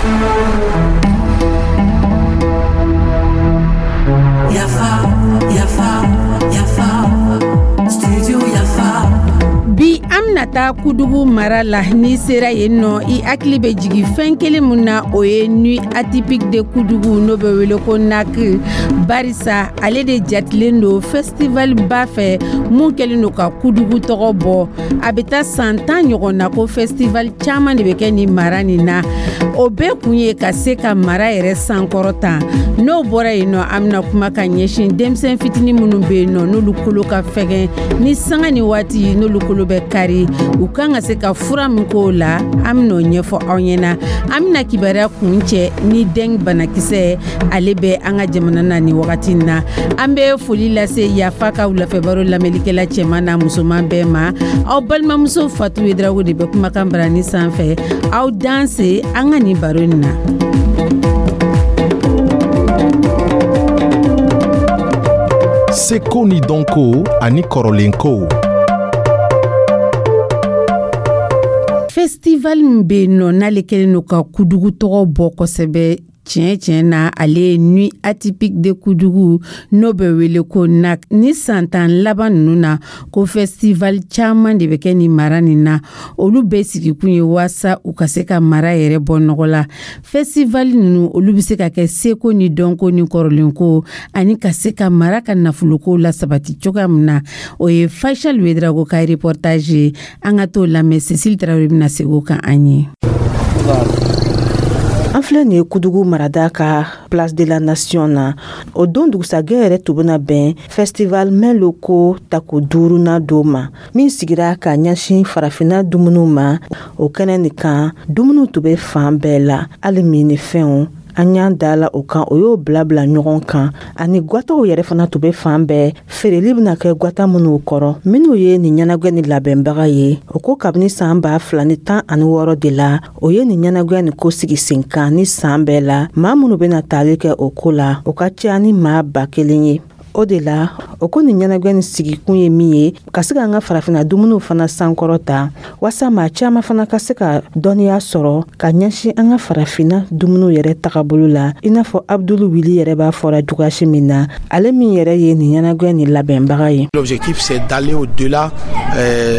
Yafa, yafa, yafa, studio Yafa. Bi, an bɛna taa Kudugu mara la. N'i sera yen nɔ, i hakili bɛ jigin fɛn kelen min na, o ye Nuit atypique de Kudugu, n'o bɛ wele ko NAK, barisa ale de jatilen don festival ba fɛ mun kɛlen don ka Kudugu tɔgɔ bɔ. A bɛ taa san 10 ɲɔgɔn na ko festival caman de bɛ kɛ nin mara nin na. O bɛɛ kun ye ka se ka mara yɛrɛ sankɔrɔta. N'o bɔra yen nɔ, an bɛna kuma ka ɲɛsin denmisɛn fitinin minnu bɛ yen nɔ, n'olu kolo ka fɛgɛn, ni sanga ni waati n'olu kolo bɛ kari, u kan ka se ka fura min k'o la, an bɛn'o ɲɛfɔ aw ɲɛna. An bɛna kibaruya kuncɛ ni dengue banakisɛ, ale bɛ an ka jamana na nin wagati in na. An bɛ foli lase Yafa ka wulafɛbaro lamɛnlikɛla cɛman n'a musoman bɛɛ ma. Aw balimamuso Fatu Yedrago de bɛ kumakan barani sanfɛ. Aw danse an ka nin baro nin na. Seko ni dɔnko ani kɔrɔlenkow. Festival min bɛ yen nɔ, n'ale kɛlen don ka Kudugu tɔgɔ bɔ kosɛbɛ tiɲɛ tiɲɛ na, ale ye Nuit atypique de Kudugu, n'o bɛ wele ko NAK. Ni san 10 laban ninnu na, ko festival caman de bɛ kɛ nin mara nin na. Olu bɛɛ sigikun ye waasa u ka se ka mara yɛrɛ bɔ nɔgɔ la. Festival ninnu, olu bɛ se ka kɛ seko ni dɔnko ni kɔrɔlenko ani ka se ka mara ka nafoloko la sabati cogoya min na. O ye Faisal Wedrago ka reportage ye. An ka t'o lamɛn. Cecile Tarawele bɛna segin o kan an ye. An filɛ nin ye Kudugu marada ka Place de la Nation na. O don dugusagɛ yɛrɛ tun bɛna bɛn festival Mets locaux tako duurunan don ma, min sigira ka ɲɛsin farafinna dumuniw ma. O kɛnɛ nin kan, dumuniw tun bɛ fan bɛɛ la, hali minnifɛnw. An y'an da la o kan, o y'o bila bila ɲɔgɔn kan, ani gwataw yɛrɛ fana tun bɛ fan bɛɛ. Feereli bɛna kɛ gwata minnu kɔrɔ, minnu ye nin ɲɛnagwɛ ni labɛnbaga ye, o ko kabini san 2016 de la, o ye nin ɲɛnagwɛ nin ko sigi sen kan. Ni san bɛɛ la, maa minnu bɛna taali kɛ o ko la, o ka ca ni maa 1000 ye. O de la, o ko nin ɲɛnagwɛ nin sigikun ye min ye, ka se k'an ka farafinna dumuniw fana sankɔrɔta, waasa maa caman fana ka se ka dɔnniya sɔrɔ ka ɲɛsin an ka farafinna dumuniw yɛrɛ tagabolo la, i n'a fɔ Abdulu Wili yɛrɛ b'a fɔra cogoyasi min na, ale min yɛrɛ ye nin ɲɛnagwɛ nin labɛnbaga ye. L'objectif, c'est d'aller au-delà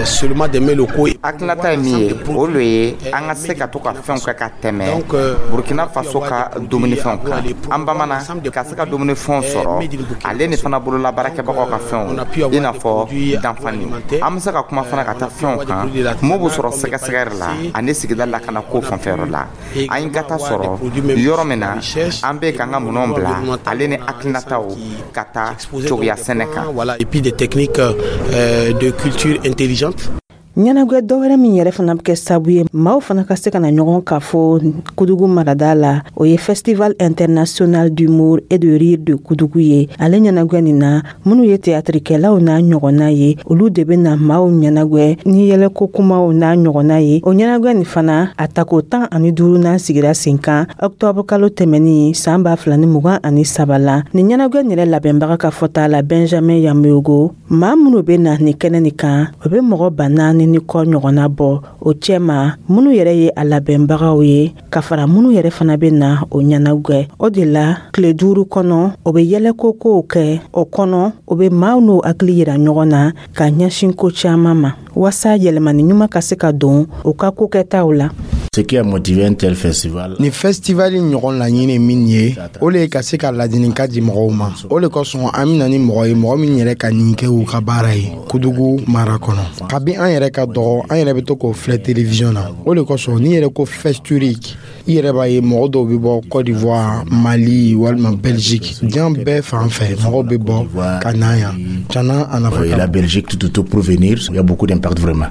seulement des mets locaux. Hakilinata ye min ye, o le ye an ka se ka to ka fɛnw kɛ ka tɛmɛ Burkina Faso ka dumunifɛnw kan. An bamana ka se ka dumunifɛnw sɔrɔ, ale ni fana bolola baarakɛbagaw ka fɛnw, i n'a fɔ danfani. An bɛ se ka kuma fana ka taa fɛnw kan mun b'o sɔrɔ sɛgɛsɛgɛri la ani sigida lakana ko fanfɛyɔrɔ la. An ye gata sɔrɔ yɔrɔ min na, an bɛ k'an ka minɛnw bila, ale ni hakilinataw ka taa cogoya sɛnɛ kan. Voilà, et puis des techniques de culture intelligente. Ɲɛnagwɛ dɔwɛrɛ min yɛrɛ fana bɛ kɛ sabu ye maaw fana ka se ka na ɲɔgɔn ka fɔ Kudugu marada la, o ye Festival international d'humour et de rire de Kudugu ye. Ale ɲɛnagwɛ nin na, minnu ye teyatirikɛlaw n'a ɲɔgɔnna ye, olu de bɛ na maaw ɲɛnagwɛ ni yɛlɛko kumaw n'a ɲɔgɔnna ye. O ɲɛnagwɛ nin fana, a tako 15nan sigira sen kan ɔktɔburu kalo tɛmɛnin san 2023 la. Nin ɲɛnagwɛ nin yɛrɛ labɛnbaga ka fɔta la, Benjamin Yameogo, maa minnu bɛ na nin kɛnɛ nin kan, o bɛ mɔgɔ 4000 ni kɔ ɲɔgɔnna bɔ. O cɛma, minnu yɛrɛ ye a labɛnbagaw ye, ka fara minnu yɛrɛ fana bɛ na o ɲɛnagwɛ. O de la, tile 5 kɔnɔ, o bɛ yɛlɛko kow kɛ o kɔnɔ, o bɛ maaw n'o hakili yira ɲɔgɔn na ka ɲɛsin ko caman ma, waasa yɛlɛmani ɲuman ka se ka don u ka kokɛtaw la. Ce qui a motivé un tel festival. Ni festival ɲɔgɔn laɲini min ye, o le ye ka se ka ladilikan di mɔgɔw ma. O le kosɔn an bɛna ni mɔgɔ ye, mɔgɔ min yɛrɛ ka nin kɛ u ka baara ye Kudugu mara kɔnɔ. Kabi an yɛrɛ ka dɔgɔ, an yɛrɛ bɛ to k'o filɛ télévision na. O le kosɔn n'i yɛrɛ ko Festurique, i yɛrɛ b'a ye mɔgɔ dɔw bɛ bɔ Côte d'Ivoire, Mali walima Belgique, diɲɛ bɛɛ fan fɛ mɔgɔw bɛ bɔ ka na yan. Tiɲɛna, a nafa ka La Belgique tout autour pour venir, il y a beaucoup d'impact vraiment.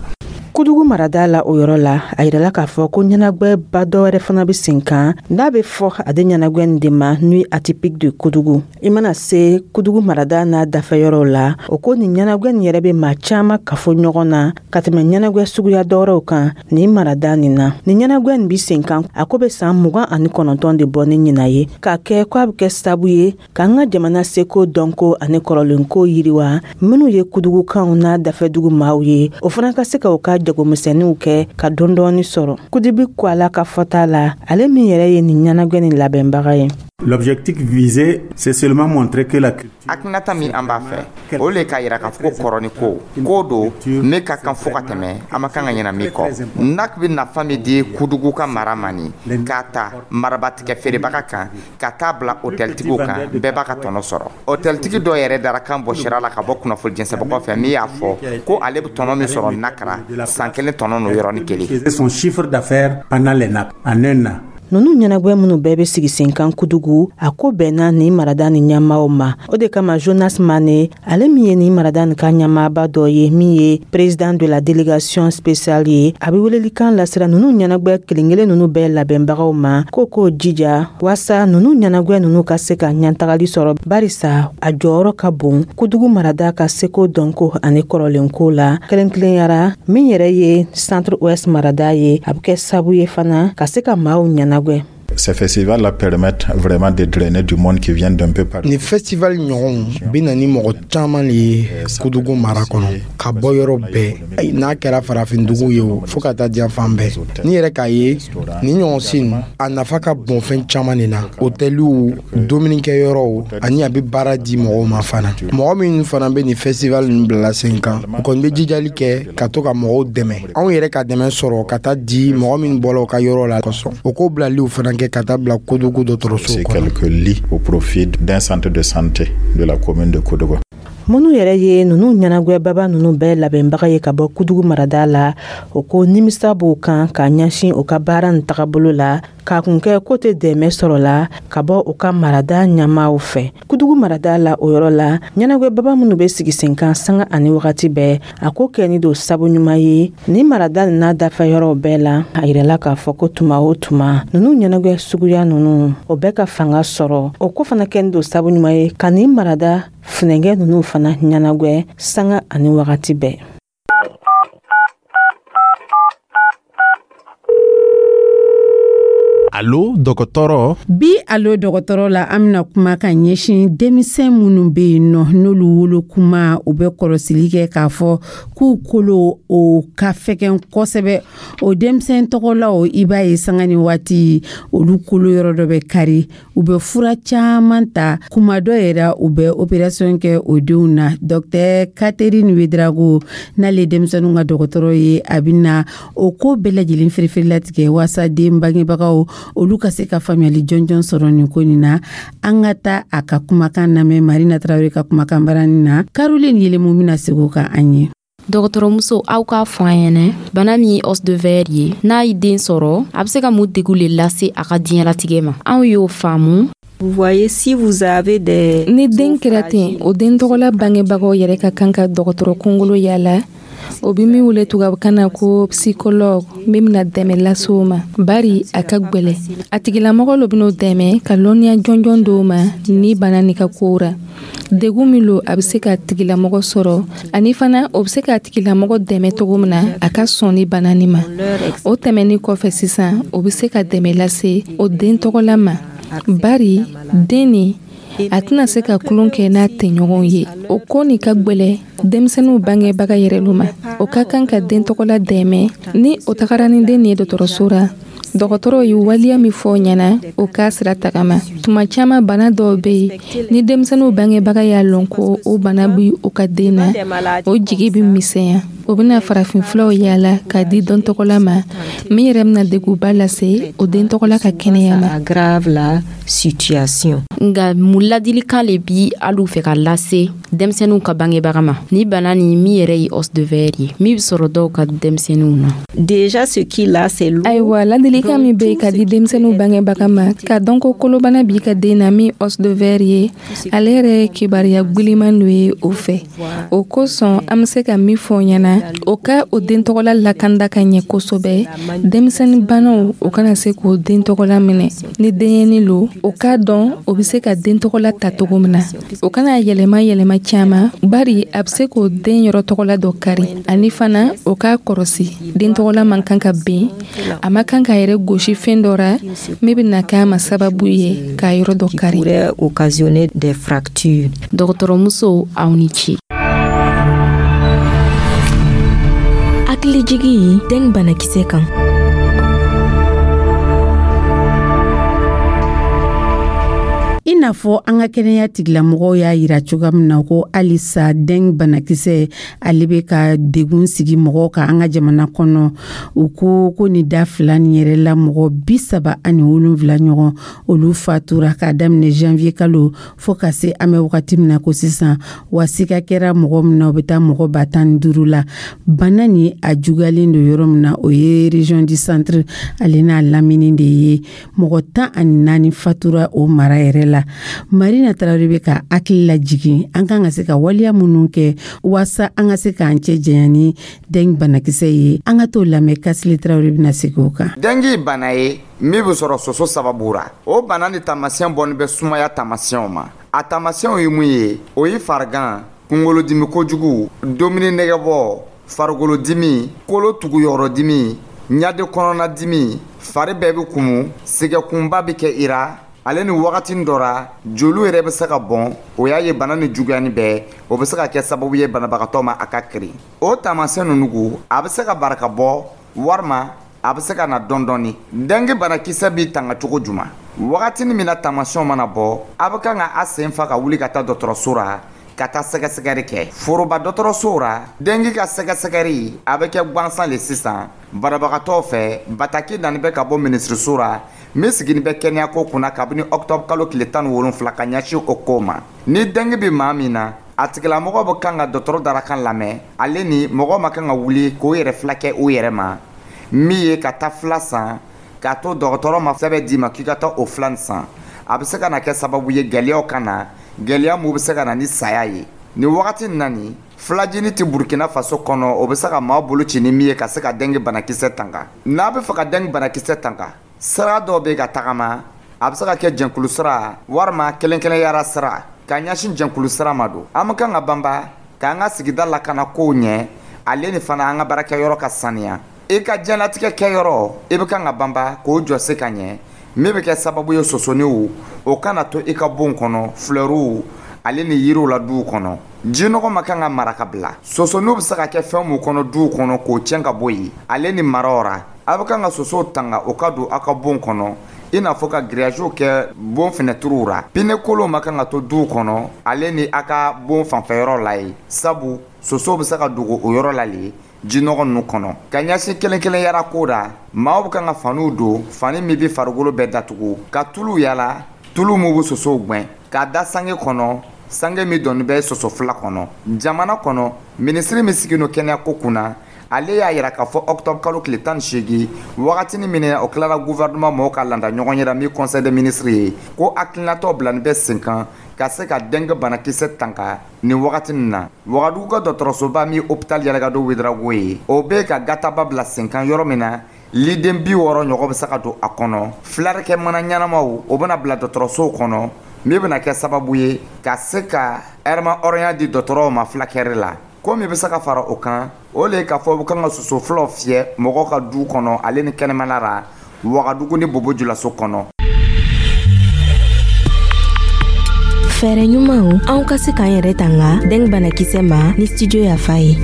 Kudugu marada la, o yɔrɔ la, a yirala k'a fɔ ko ɲɛnagwɛba dɔwɛrɛ fana bɛ sen kan, n'a bɛ fɔ ale ɲɛnagwɛ nin de ma Nuit atypique de Kudugu. I mana se Kudugu marada n'a dafɛyɔrɔw la, o ko nin ɲɛnagwɛ nin yɛrɛ bɛ maa caman kafo ɲɔgɔn na ka tɛmɛ ɲɛnagwɛ suguya dɔwɛrɛw kan nin marada nin na. Nin ɲɛnagwɛ nin bɛ sen kan, a ko bɛ san 29 de bɔ ni ɲinan ye, k'a kɛ ko a bɛ kɛ sabu ye k'an ka jamana seko, dɔnko ani kɔrɔlenko yiriwa. Minnu ye Kudugukanw n'a dafɛdugu maaw ye, o fana ka se ka u ka jagomisɛnninw kɛ ka dɔɔni sɔrɔ. Kudibi ko ala ka fɔta la, ale min yɛrɛ ye nin ɲɛnagwɛ nin labɛnbaga ye. L'objectif visé, c'est seulement montrer que la culture. Hakilinata min an b'a fɛ, o le k'a yira k'a fɔ ko kɔrɔ ni ko ko don ne ka kan fo ka tɛmɛ, an ma kan ka ɲina min kɔ. NAK bɛ nafa min di Kudugu ka mara ma nin, k'a ta marabatigɛ feerebaga kan ka taa bila hôteltigiw kan, bɛɛ b'a ka tɔnɔ sɔrɔ. Hôteltigi dɔ yɛrɛ dara kan bɔ sira la ka bɔ kunnafoni jɛnsɛbagaw fɛ, min y'a fɔ ko ale bɛ tɔnɔ min sɔrɔ NAK ra, san kelen tɔnɔ n'o yɔrɔnin kelen. Faisait son chiffre d'affaires pendant les NAK en un an. Ninnu ɲɛnagwɛ minnu bɛɛ bɛ sigi sen kan Kudugu, a ko bɛnna nin marada ni ɲɛmaaw ma. O de kama, Jonas Mane, ale min ye nin marada nin ka ɲɛmaaba dɔ ye, min ye président de la délégation spéciale ye, a bɛ welelikan lasira ninnu ɲɛnagwɛ kelen-kelen ninnu bɛɛ labɛnbagaw ma ko k'o jija waasa ninnu ɲɛnagwɛ ninnu ka se ka ɲɛtagali sɔrɔ, barisa a jɔyɔrɔ ka bon Kudugu marada ka seko, dɔnko ani kɔrɔlenko la, kɛrɛnkɛrɛnyara min yɛrɛ ye Centre Ouest marada ye. A bɛ kɛ sabu ye fana ka se ka maaw ɲɛnagwɛ. Ces festivals-là permettent vraiment de drainer du monde qui vient d'un peu partout. Ni festival ɲɔgɔnw bɛ na ni mɔgɔ caman de ye Kudugu mara kɔnɔ, ka bɔ yɔrɔ bɛɛ, n'a kɛra farafindugu ye o, fo ka taa diɲɛ fan bɛɛ. Ni yɛrɛ k'a ye nin ɲɔgɔn sin, a nafa ka bon fɛn caman de na: hôteliw, dumunikɛyɔrɔw, ani a bɛ baara di mɔgɔw ma fana. Mɔgɔ minnu fana bɛ nin festival ninnu bilala sen kan, u kɔni bɛ jijali kɛ ka to ka mɔgɔw dɛmɛ. Anw yɛrɛ ka dɛmɛ sɔrɔ ka taa di mɔgɔ min bɔla u ka yɔrɔ la kosɔn, o ko bilaliw fana kɛ ka taa bila Kodogo dɔgɔtɔrɔso kɔnɔ. Quelques lits au profit d'un centre de santé de la commune de Koudougou. Minnu yɛrɛ ye ninnu ɲɛnagwɛbaba ninnu bɛɛ labɛnbaga ye ka bɔ Kudugu marada la, o ko nimisa b'o kan ka ɲɛsin u ka baara nin tagabolo la, k'a kun kɛ ko tɛ dɛmɛ sɔrɔ la ka bɔ u ka marada ɲɛmaaw fɛ Kudugu marada la. O yɔrɔ la, ɲɛnagwɛbaba minnu bɛ sigi sen kan sanga ani wagati bɛɛ, a ko kɛ ni don sabu ɲuman ye ni marada nin n'a dafa yɔrɔw bɛɛ la. A yirala k'a fɔ ko tuma o tuma, ninnu ɲɛnagwɛ suguya ninnu, o bɛɛ ka fanga sɔrɔ, o ko fana kɛ ni don sabu ɲuman ye ka nin marada funɛngɛ ninnu fana ɲɛnagwɛ sanga ani wagati bɛɛ. Alo dɔgɔtɔrɔ. Bi Alo dɔgɔtɔrɔ la, an bɛna kuma ka ɲɛsin denmisɛn minnu bɛ yen nɔ, n'olu wolo kuma, u bɛ kɔlɔsili kɛ k'a fɔ k'u kolo o ka fɛgɛn kosɛbɛ. O denmisɛn tɔgɔlaw, i b'a ye sanga ni waati, olu kolo yɔrɔ dɔ bɛ kari, u bɛ fura caman ta, kuma dɔ yɛrɛ u bɛ opération kɛ o denw na. Docteur Catherine Ouédraogo, n'ale ye denmisɛnninw ka dɔgɔtɔrɔ ye, a bɛ na o ko bɛɛ lajɛlen firifiri latigɛ waasa den bangebagaw olu ka se ka faamuyali jɔnjɔn sɔrɔ nin ko nin na. An ka taa a ka kumakan lamɛn Marina Tarawele ka kumakan barani na. Caroline Yelemu bɛna segin o kan an ye. Dɔgɔtɔrɔmuso, aw k'a fɔ an ɲɛnɛ, bana min ye os de verre ye, n'a ye den sɔrɔ, a bɛ se ka mun degun le lase a ka diɲɛlatigɛ ma? Anw y'o faamu. Vous voyez, si vous avez des Ni den kɛra ten, o den tɔgɔla bangebagaw yɛrɛ ka kan ka dɔgɔtɔrɔ kungolo yala, o bi min wele tubabukan na ko psychologue, min bɛna dɛmɛ lase o ma, bari a ka gwɛlɛ. A tigilamɔgɔ lo ben'o dɛmɛ ka lɔnniya jɔnjɔn d'o ma ni bana ni ka kow ra, degun min lo a bɛ se ka tigilamɔgɔ sɔrɔ, ani fana o bɛ se ka tigilamɔgɔ dɛmɛ cogo min na a ka sɔn ni bana nin ma. O tɛmɛni kɔfɛ sisan, o bɛ se ka dɛmɛ lase o den tɔgɔla ma, bari den nin a tɛna se ka tulon kɛ n'a tɛɲɔgɔnw ye. O ko nin ka gwɛlɛ denmisɛnninw bangebaga yɛrɛ lu ma. O ka kan ka den tɔgɔla dɛmɛ. Ni o tagara ni den nin ye dɔgɔtɔrɔso ra, dɔgɔtɔrɔw ye waleya min fɔ ɲɛna, o k'a sira tagama. Tuma caman, bana dɔw bɛ yen, ni denmisɛnninw bangebaga y'a lɔn ko o bana bi o ka den na, o jigi bɛ misɛnya, o bɛna farafinfuraw yaala k'a di den tɔgɔla ma, min yɛrɛ bɛna degunba lase o den tɔgɔla ka kɛnɛya ma. Aggrave la situation. Nka mun ladilikan le bi alu fɛ ka lase denmisɛnninw ka bangebaga ma ni bana ni min yɛrɛ ye os de verre ye, min bɛ sɔrɔ dɔw ka denmisɛnninw na? Déjà, ce qu'il a, c'est lourd. Ayiwa, ladilikan min bɛ yen ka di denmisɛnninw bangebaga ma, ka dɔn ko kolobana b'i ka den na, min os de verre ye, ale yɛrɛ ye kibaruya gwiliman dɔ ye o fɛ. O kosɔn, an bɛ se ka min fɔ ɲɛna, o ka o den tɔgɔla lakanda ka ɲɛ kosɛbɛ, denmisɛnnin banaw o kana se k'o den tɔgɔla minɛ. Ni denyɛni lo, o k'a dɔn o bɛ se ka den tɔgɔla ta cogo min na, o kana yɛlɛma yɛlɛma caman, bari a bɛ se k'o den yɔrɔ tɔgɔla dɔ kari. Ani fana, o k'a kɔrɔsi, den tɔgɔla man kan ka ben, a ma kan k'a yɛrɛ gosi fɛn dɔ ra min bɛna k'a ma sababu ye k'a yɔrɔ dɔ kari. Pourrait occasionner des fractures. Dɔgɔtɔrɔmuso, aw ni ce. Hakilijigi dengue banakisɛ kan. I n'a fɔ an ka kɛnɛya tigilamɔgɔw y'a yira cogoya min na ko halisa dengue banakisɛ ale bɛ ka degun sigi mɔgɔw kan an ka jamana kɔnɔ. U ko ko nin da fila nin yɛrɛ la, mɔgɔ 37 ɲɔgɔn, olu fatura k'a daminɛ janvier kalo fo ka se an bɛ wagati min na ko sisan. Wa sika kɛra mɔgɔ min na, o bɛ taa mɔgɔ 15 000 la. Bana ni a juguyalen don yɔrɔ min na, o ye région du centre ale n'a lamini de ye. Mɔgɔ 14 fatura o mara yɛrɛ la. Marina Tarawele bɛ ka hakili lajigin an kan ka se ka waleya minnu kɛ waasa an ka se k'an cɛ janya ni dengue banakisɛ ye. An ka t'o lamɛn, Kasile Tarawele bɛna segin o kan. Dengue bana ye min bɛ sɔrɔ soso sababu ra. O bana ni taamasiyɛn bɔnin bɛ sumaya taamasiyɛnw ma. A taamasiyɛnw ye mun ye? O ye farigan, kunkolodimi kojugu, dumuni nɛgɛbɔ, farikolodimi, kolo tuguyɔrɔdimi, ɲade kɔnɔnadimi, fari bɛɛ bɛ kumu, sɛgɛkunba bɛ kɛ i ra, ale ni wagati dɔ ra joliw yɛrɛ bɛ se ka bɔn. O y'a ye bana ni juguyani bɛɛ, o bɛ se ka kɛ sababu ye banabagatɔ ma a ka kirin. O taamasiyɛn ninnu, a bɛ se ka barika bɔ walima a bɛ se ka na dɔɔni dɔɔni. Dengue banakisɛ b'i tanga cogo juman? Wagatinin min na taamasiyɛnw mana bɔ, a bɛ kan ka a sen fa ka wuli ka taa dɔgɔtɔrɔso ra ka taa sɛgɛsɛgɛli kɛ foroba dɔgɔtɔrɔsow ra. Dengue ka sɛgɛsɛgɛli a bɛ kɛ gansan le sisan banabagatɔw fɛ. Bataki nani bɛ ka bɔ minisiriso ra min sigini bɛ kɛnɛyako kunna kabini ɔkutɔburu kalo tile 17 ka ɲɛsin o ko ma. Ni dengue bɛ maa min na, a tigilamɔgɔ bɛ kan ka dɔgɔtɔrɔ darakan lamɛn, ale ni mɔgɔ ma kan ka wuli k'o yɛrɛ fila kɛ o yɛrɛ ma, min ye ka taa fila san k'a to dɔgɔtɔrɔ ma sɛbɛn d'i ma k'i ka taa o fila nin san. A bɛ se ka na kɛ sababu ye gɛlɛyaw ka na, gɛlɛya mun bɛ se ka na ni saya ye. Nin wagati nin na, nin filajini tɛ Burkina Faso kɔnɔ, o bɛ se ka maa bolo ci ni min ye ka se ka dengue banakisɛ tanga. N'a bɛ fɛ ka dengue banakisɛ tanga, sira dɔw bɛ ka tagama. A bɛ se ka kɛ jɛnkulu sira walima kelen-kelenyara sira. Ka ɲɛsin jɛnkulu sira ma don, an bɛ kan ka banba k'an ka sigida lakana kow ɲɛ, ale ni fana an ka baarakɛyɔrɔ ka saniya. I ka diɲɛlatigɛ kɛyɔrɔ, i bɛ kan ka banba k'o jɔsi ka ɲɛ, min bɛ kɛ sababu ye sosoniw o kana to i ka bon kɔnɔ, filɛriw ale ni yiriw la duw kɔnɔ. Jinɔgɔ ma kan ka mara ka bila. Sosoniw bɛ se ka kɛ fɛn mun kɔnɔ duw kɔnɔ, k'o tiɲɛ ka bɔ yen, ale ni maraw ra. A bɛ kan ka sosow tanga o ka don aw ka bon kɔnɔ, i n'a fɔ ka grillage kɛ bon fenɛtiriw ra. Pneu kolonw ma kan ka to duw kɔnɔ, ale ni a ka bon fanfɛyɔrɔ la ye, sabu sosow bɛ se ka dogo o yɔrɔ la le jinɔgɔ ninnu kɔnɔ. Ka ɲɛsin kelen kelen yara ko ra, maaw bɛ kan ka faniw don, fani min bɛ farikolo bɛɛ datugu, ka tulu yala, tulu min bɛ sosow gwɛn, k'a da sange kɔnɔ, sange min dɔnni bɛ soso fila kɔnɔ. Jamana kɔnɔ minisiri min sigin don kɛnɛyako kunna, ale y'a yira k'a fɔ octobre kalo tile 18, wagatinin min o tilara gouvernement mɔgɔw ka landa ɲɔgɔn yɛrɛ min conseil des ministres ye, ko hakilinatɔ bilani bɛ sen kan ka se ka dengue banakisɛ tanga nin wagati nin na. Wagadugu ka dɔgɔtɔrɔsoba min hôpital Yalɛkado Ouédraogo ye, o bɛ ka gataba bila sen kan yɔrɔ min na liden 60 ɲɔgɔn bɛ se ka don a kɔnɔ. Filarikɛ mana ɲɛnamaw, o bɛna bila dɔgɔtɔrɔsow kɔnɔ, min bɛna kɛ sababu ye ka se ka ɛrɛma hɔrɔnya di dɔgɔtɔrɔw ma fulakɛri la. Ko min bɛ se ka fara o kan, o le ye k'a fɔ u kan ka soso filaw fiyɛ mɔgɔw ka du kɔnɔ, ale ni kɛnɛmana ra, Wagadugu ni Bobo Julaso kɔnɔ. Fɛɛrɛ ɲumanw anw ka se k'an yɛrɛ tanga dengue banakisɛ ma ni studio Yafa ye.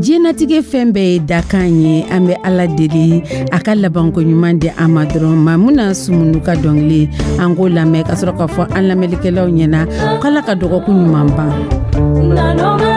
Diɲɛnatigɛ fɛn bɛɛ ye dakan ye. An bɛ Ala deli a ka labanko ɲuman di an ma dɔrɔn. Mamuna Sumunu ka dɔnkili, an k'o lamɛn ka sɔrɔ k'a fɔ an lamɛnlikɛlaw ɲɛna k'Ala ka dɔgɔkun ɲuman ban.